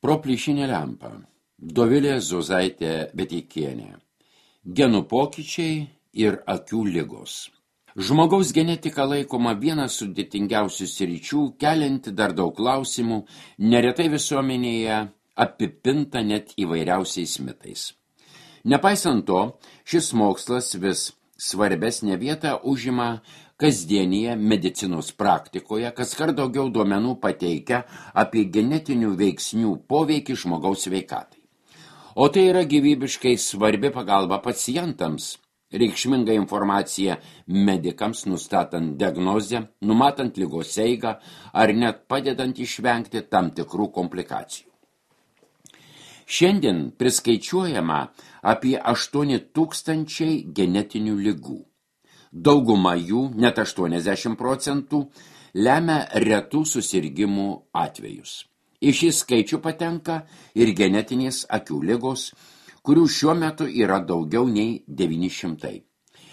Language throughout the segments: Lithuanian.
Pro plyšinę lempą. Dovilė Zuzaitė Beteikienė. Genų pokyčiai ir akių ligos. Žmogaus genetika laikoma vienas sudėtingiausių sričių, kelianti dar daug klausimų, neretai visuomenėje apipinta net įvairiausiais mitais. Nepaisant to, šis mokslas vis svarbesnę vietą užima kasdienėje medicinos praktikoje, kaskart daugiau duomenų pateikia apie genetinių veiksnių poveikį žmogaus sveikatai. O tai yra gyvybiškai svarbi pagalba pacientams, reikšminga informacija medikams nustatant diagnozę, numatant ligos eigą ar net padedant išvengti tam tikrų komplikacijų. Šiandien priskaičiuojama apie 8 000 genetinių ligų. Dauguma jų, net 80%, lemia retų susirgimų atvejus. Į šį skaičių patenka ir genetinės akių ligos, kurių šiuo metu yra daugiau nei 900.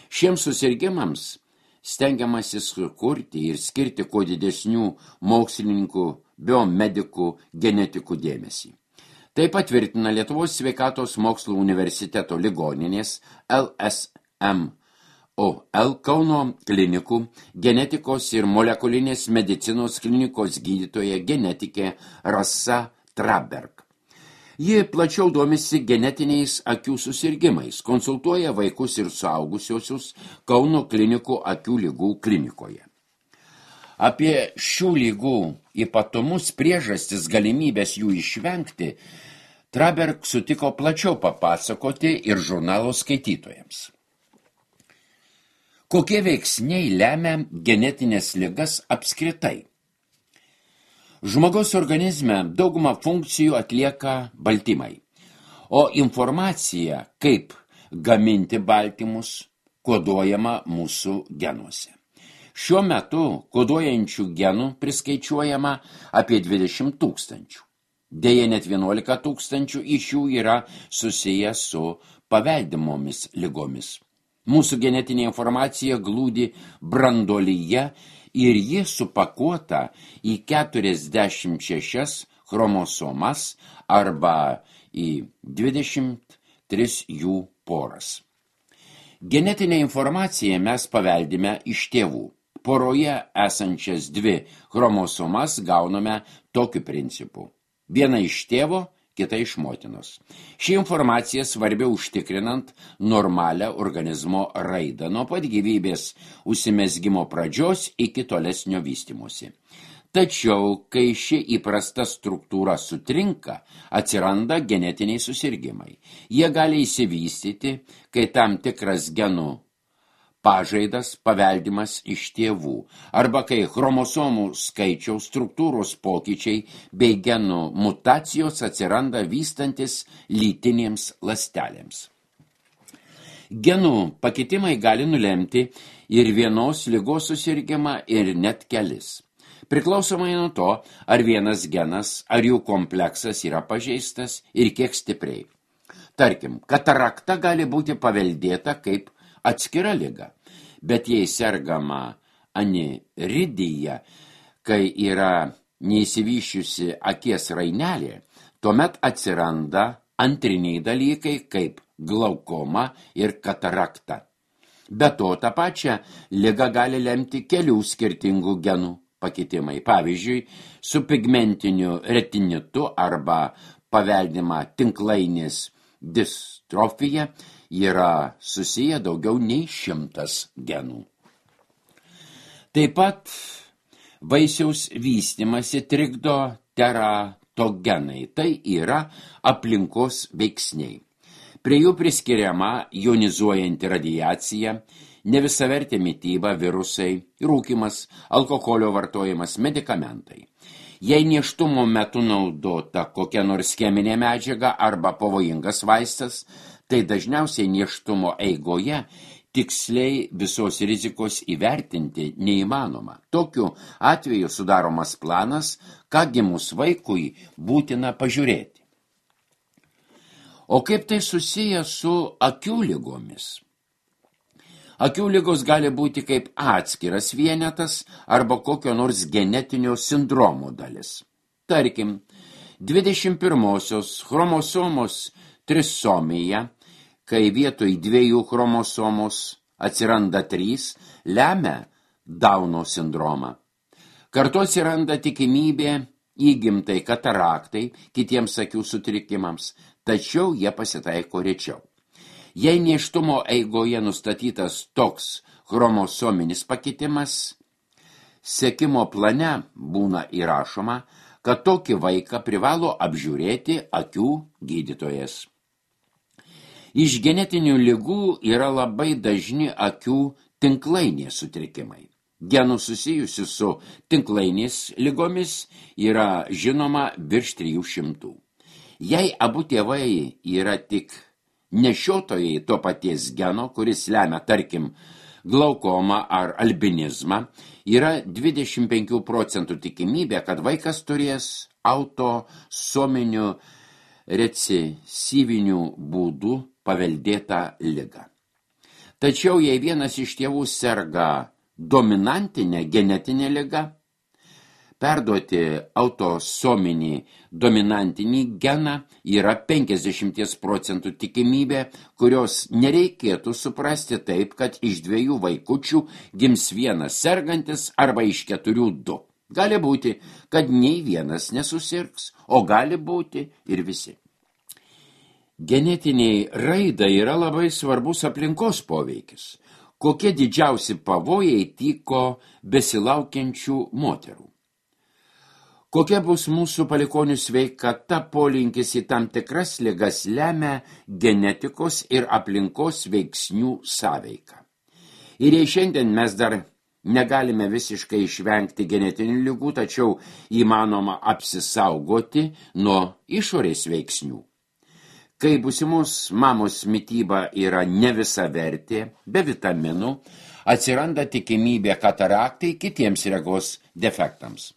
Šiems susirgimams stengiamasi sukurti ir skirti kuo didesnių mokslininkų, biomedikų, genetikų dėmesį. Tai patvirtina Lietuvos sveikatos mokslų universiteto ligoninės LSMOL Kauno klinikų genetikos ir molekulinės medicinos klinikos gydytoja genetikė Rasa Traberg. Ji plačiau domisi genetiniais akių susirgimais, konsultuoja vaikus ir suaugusiosius Kauno klinikų akių ligų klinikoje. Apie šių lygų ypatumus, priežastis, galimybės jų išvengti, Traberg sutiko plačiau papasakoti ir žurnalo skaitytojams. Kokie veiksniai lemia genetinės ligas apskritai? Žmogaus organizme daugumą funkcijų atlieka baltymai, o informacija, kaip gaminti baltymus, koduojama mūsų genuose. Šiuo metu koduojančių genų priskaičiuojama apie 20 000. Deja, net 11 000 iš jų yra susiję su paveldimomis ligomis. Mūsų genetinė informacija glūdi branduolyje ir ji supakuota į 46 chromosomas arba į 23 jų poras. Genetinę informaciją mes paveldime iš tėvų. Poroje esančias 2 chromosomas gauname tokiu principu. Viena iš tėvo, kita iš motinos. Ši informacija svarbi užtikrinant normalią organizmo raidą nuo pat gyvybės užsimezgimo pradžios iki tolesnio vystymosi. Tačiau, kai ši įprasta struktūra sutrinka, atsiranda genetiniai susirgimai. Jie gali išsivystyti, kai tam tikras genų pažaidas paveldimas iš tėvų, arba kai chromosomų skaičiaus struktūros pokyčiai bei genų mutacijos atsiranda vystantis lytinėms ląstelėms. Genų pakitimai gali nulemti ir vienos ligos susirgimą ir net kelis. Priklausomai nuo to, ar vienas genas, ar jų kompleksas yra pažeistas ir kiek stipriai. Tarkim, katarakta gali būti paveldėta kaip atskira liga, bet jei sergama aniridija, kai yra neįsivyščiusi akies rainelė, tuomet atsiranda antriniai dalykai kaip glaukoma ir katarakta. Be to, tą pačią ligą gali lemti kelių skirtingų genų pakitimai. Pavyzdžiui, su pigmentiniu retinitu arba paveldima tinklainės distrofija yra susiję daugiau nei 100 genų. Taip pat vaisiaus vystymasi trikdo teratogenai, tai yra aplinkos veiksniai. Prie jų priskiriama jonizuojanti radiacija, nevisavertė mityba, virusai, rūkymas, alkoholio vartojimas, medikamentai. Jei nėštumo metu naudota kokia nors cheminė medžiaga arba pavojingas vaistas, tai dažniausiai nėštumo eigoje tiksliai visos rizikos įvertinti neįmanoma. Tokiu atveju sudaromas planas, ką gimus vaikui būtina pažiūrėti. O kaip tai susiję su akių ligomis? Akių ligos gali būti kaip atskiras vienetas arba kokio nors genetinio sindromo dalis. Tarkim, 21-osios chromosomos trisomija, kai vietoj 2 chromosomos atsiranda 3, lemia Dauno sindromą. Kartu atsiranda tikimybė įgimtai kataraktai, kitiems akių sutrikimams, tačiau jie pasitaiko rečiau. Jei nėštumo eigoje nustatytas toks chromosominis pakitimas, sekimo plane būna įrašoma, kad tokį vaiką privalo apžiūrėti akių gydytojas. Iš genetinių ligų yra labai dažni akių tinklainės sutrikimai. Genų susijusių su tinklainės ligomis yra žinoma virš 300. Jei abu tėvai yra tik nešiotojai to paties geno, kuris lemia, tarkim, glaukomą ar albinizmą, yra 25% tikimybė, kad vaikas turės autosominių recesyvinių būdų paveldėtą ligą. Tačiau jei vienas iš tėvų serga dominantinę genetinę ligą, perduoti autosominį dominantinį geną yra 50% tikimybė, kurios nereikėtų suprasti taip, kad iš 2 vaikučių gims vienas sergantis arba iš 4 2. Gali būti, kad nei vienas nesusirgs, o gali būti ir visi. Genetiniai raidai yra labai svarbus aplinkos poveikis. Kokie didžiausi pavojai tyko besilaukiančių moterų? Kokia bus mūsų palikonių sveikata, polinkis į tam tikras ligas lemia genetikos ir aplinkos veiksnių sąveiką. Ir jei šiandien mes dar negalime visiškai išvengti genetinių ligų, tačiau įmanoma apsisaugoti nuo išorės veiksnių. Kai būsimos mamos mityba yra nevisavertė, be vitaminų, atsiranda tikimybė kataraktai kitiems regos defektams.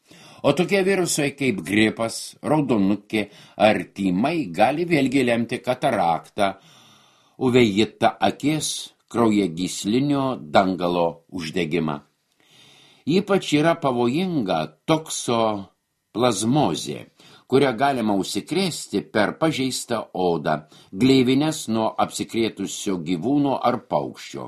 O tokie virusai kaip gripas, raudonukė ar tymai gali vėlgi lemti kataraktą, uvėjitą akies kraujagyslinio dangalo uždegimą. Ypač yra pavojinga toksoplazmozė, kurią galima užsikrėsti per pažeistą odą, gleivines nuo apsikrėtusio gyvūno ar paukščio.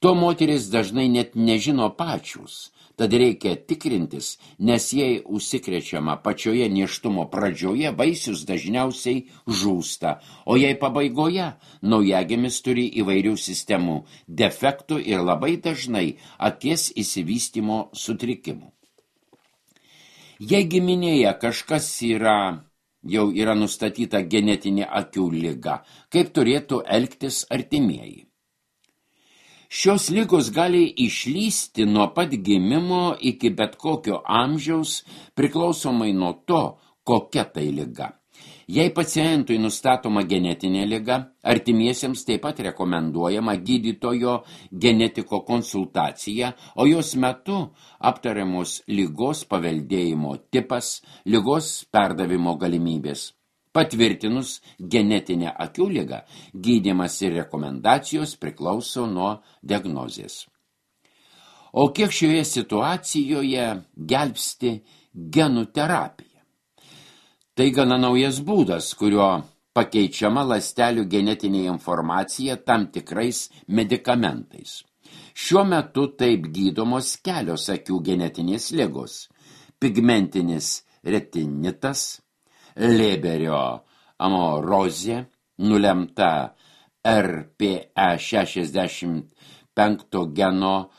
To moteris dažnai net nežino pačius, tad reikia tikrintis, nes jei užsikrečiama pačioje nėštumo pradžioje, vaisius dažniausiai žūsta, o jei pabaigoje naujagimis turi įvairių sistemų defektų ir labai dažnai akies išsivystymo sutrikimų. Jei giminėje kažkas jau yra nustatyta genetinė akių liga, kaip turėtų elgtis artimieji? Šios ligos gali išlysti nuo pat gimimo iki bet kokio amžiaus, priklausomai nuo to, kokia tai liga. Jei pacientui nustatoma genetinė liga, artimiesiems taip pat rekomenduojama gydytojo genetiko konsultacija, o jos metu aptariamos ligos paveldėjimo tipas, ligos perdavimo galimybės. Patvirtinus genetinę akių ligą, gydymas ir rekomendacijos priklauso nuo diagnozės. O kiek šioje situacijoje gelbsti genų terapija? Tai gana naujas būdas, kurio pakeičiama ląstelių genetinė informacija tam tikrais medikamentais. Šiuo metu taip gydomos kelios akių genetinės ligos – pigmentinis retinitas, Leberio amorozė, nulemta RPE65 geno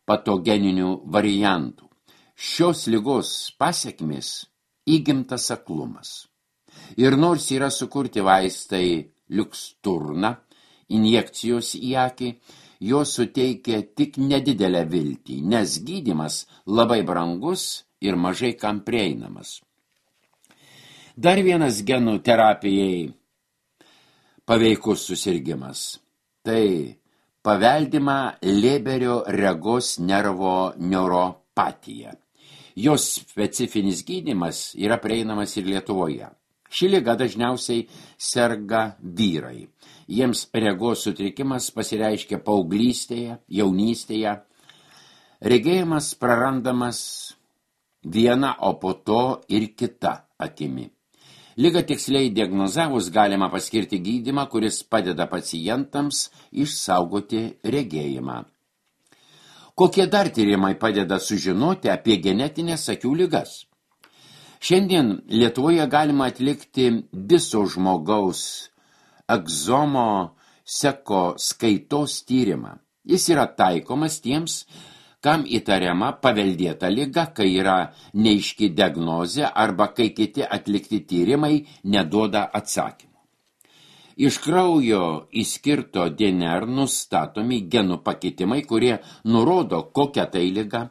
patogeninių variantų. Šios ligos pasekmės įgimtas aklumas. Ir nors yra sukurti vaistai Luxturna, injekcijos į akį, jos suteikia tik nedidelę viltį, nes gydymas labai brangus ir mažai kam prieinamas. Dar vienas genų terapijai paveikus susirgimas. Tai paveldima Leberio regos nervo neuropatija. Jos specifinis gydymas yra prieinamas ir Lietuvoje. Ši liga dažniausiai serga vyrai. Jiems regos sutrikimas pasireiškia paauglystėje, jaunystėje. Regėjimas prarandamas viena, o po to ir kita akimi. Ligą tiksliai diagnozavus galima paskirti gydymą, kuris padeda pacientams išsaugoti regėjimą. Kokie dar tyrimai padeda sužinoti apie genetinės akių ligas? Šiandien Lietuvoje galima atlikti viso žmogaus egzomo sekoskaitos tyrimą. Jis yra taikomas tiems, kam įtariama paveldėta liga, kai yra neaiški diagnozė arba kai kiti atlikti tyrimai neduoda atsakymų. Iš kraujo įskirto DNR nustatomi genų pakitimai, kurie nurodo, kokia tai liga,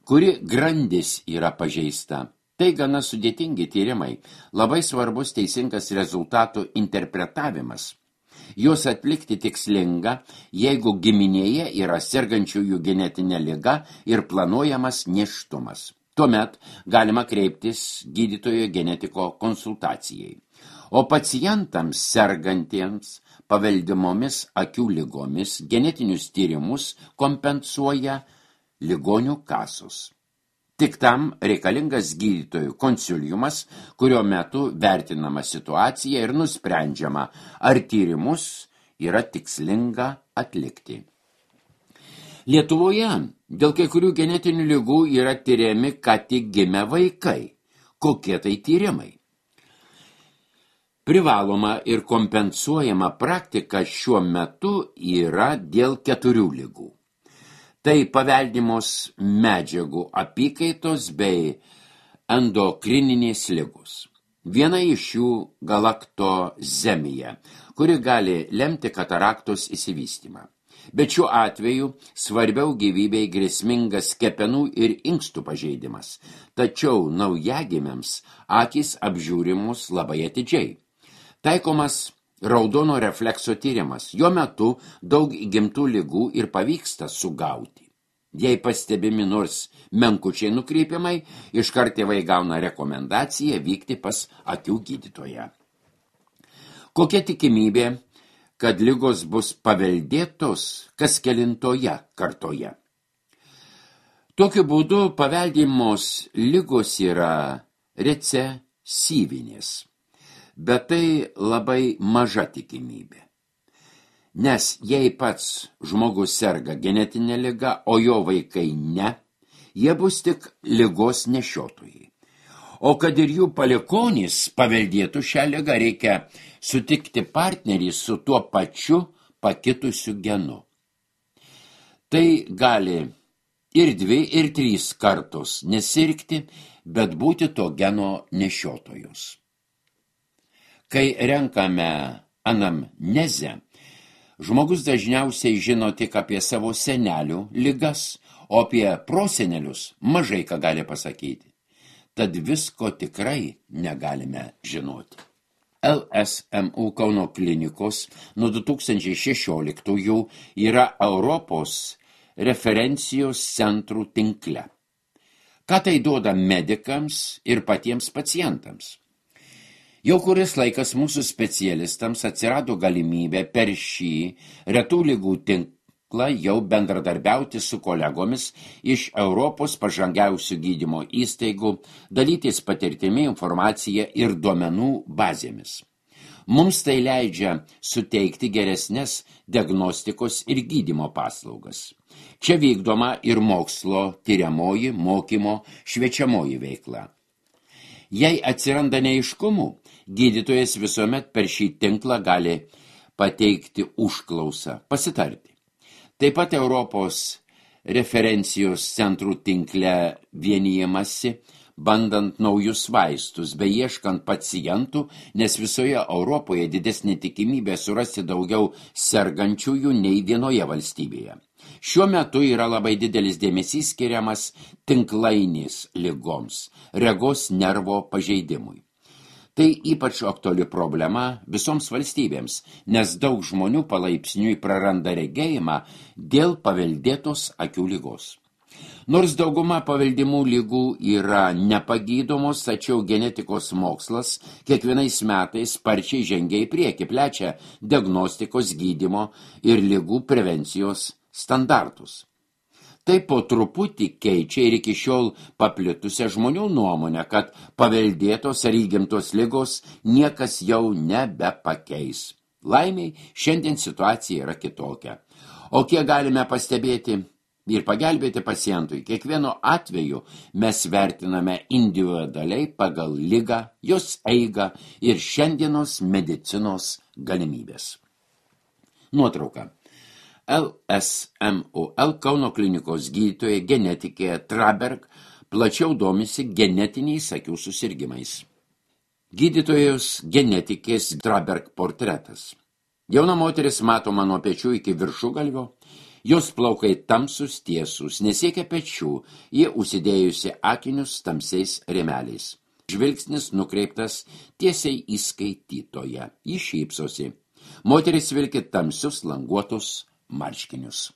kuri grandis yra pažeista. Tai gana sudėtingi tyrimai, labai svarbus teisingas rezultatų interpretavimas. Juos atlikti tikslinga, jeigu giminėje yra sergančiųjų genetinė liga ir planuojamas nėštumas. Tuomet galima kreiptis gydytojo genetiko konsultacijai. O pacientams sergantiems paveldimomis akių ligomis genetinius tyrimus kompensuoja ligonių kasos. Tik tam reikalingas gydytojų konsiliumas, kurio metu vertinama situacija ir nusprendžiama, ar tyrimus yra tikslinga atlikti. Lietuvoje dėl kai kurių genetinių ligų yra tyriami ką tik gimę vaikai. Kokie tai tyrimai? Privaloma ir kompensuojama praktika šiuo metu yra dėl 4 ligų. Tai paveldimos medžiagų apykaitos bei endokrininės ligos. Viena iš jų galaktozemija, kuri gali lemti kataraktos išsivystymą. Bet šiuo atveju svarbiau gyvybei grėsmingas kepenų ir inkstų pažeidimas, tačiau naujagimiams akys apžiūrimos labai atidžiai. Taikomas raudono reflekso tyrimas. Jo metu daug įgimtų ligų ir pavyksta sugauti. Jei pastebimi nors menkučiai nukreipimai, iškart tėvai gauna rekomendaciją vykti pas akių gydytoją. Kokia tikimybė, kad ligos bus paveldėtos kas kelintoje kartoje? Tokiu būdu paveldimos ligos yra recesyvinės. Bet tai labai maža tikimybė. Nes jei pats žmogus serga genetinė liga, o jo vaikai ne, jie bus tik ligos nešiotojai. O kad ir jų palikuonys paveldėtų šią ligą, reikia sutikti partnerį su tuo pačiu pakitusiu genu. Tai gali ir 2, ir 3 kartos nesirgti, bet būti to geno nešiotojus. Kai renkame anamnezę, žmogus dažniausiai žino tik apie savo senelių ligas, o apie prosenelius mažai ką gali pasakyti. Tad visko tikrai negalime žinoti. LSMU Kauno klinikos nuo 2016 yra Europos referencijos centrų tinkle. Ką tai duoda medikams ir patiems pacientams? Jau kuris laikas mūsų specialistams atsirado galimybė per šį retų ligų tinklą jau bendradarbiauti su kolegomis iš Europos pažangiausių gydymo įstaigų, dalytis patirtimi, informacija ir duomenų bazėmis. Mums tai leidžia suteikti geresnės diagnostikos ir gydymo paslaugas. Čia vykdoma ir mokslo, tyriamoji, mokymo, šviečiamoji veikla. Jei atsiranda neaiškumų, gydytojas visuomet per šį tinklą gali pateikti užklausą, pasitarti. Taip pat Europos referencijos centrų tinkle vienijamasi, bandant naujus vaistus, bei ieškant pacientų, nes visoje Europoje didesnė tikimybė surasti daugiau sergančiųjų nei vienoje valstybėje. Šiuo metu yra labai didelis dėmesys skiriamas tinklainės ligoms, regos nervo pažeidimui. Tai ypač aktuali problema visoms valstybėms, nes daug žmonių palaipsniui praranda regėjimą dėl paveldėtos akių ligos. Nors dauguma paveldimų ligų yra nepagydomos, tačiau genetikos mokslas kiekvienais metais sparčiai žengia į priekį, plečia diagnostikos, gydymo ir ligų prevencijos standartus. Tai po truputį keičia ir iki šiol paplitusią žmonių nuomonę, kad paveldėtos ar įgimtos ligos niekas jau nebepakeis. Laimiai, šiandien situacija yra kitokia. O kiek galime pastebėti ir pagelbėti pacientui, kiekvieno atveju mes vertiname individualiai pagal ligą, jos eigą ir šiandienos medicinos galimybės. Nuotrauka. LSMUL Kauno klinikos gydytoja genetikė Traberg plačiau domisi genetiniais akių susirgimais. Gydytojos genetikės Traberg portretas. Jauna moteris matoma nuo pečių iki viršugalvio, jos plaukai tamsus tiesus, nesiekia pečių, jie užsidėjusi akinius tamsiais rėmeliais. Žvilgsnis nukreiptas tiesiai į skaitytoją, ji šypsosi. Moteris vilki tamsius languotus marškinius.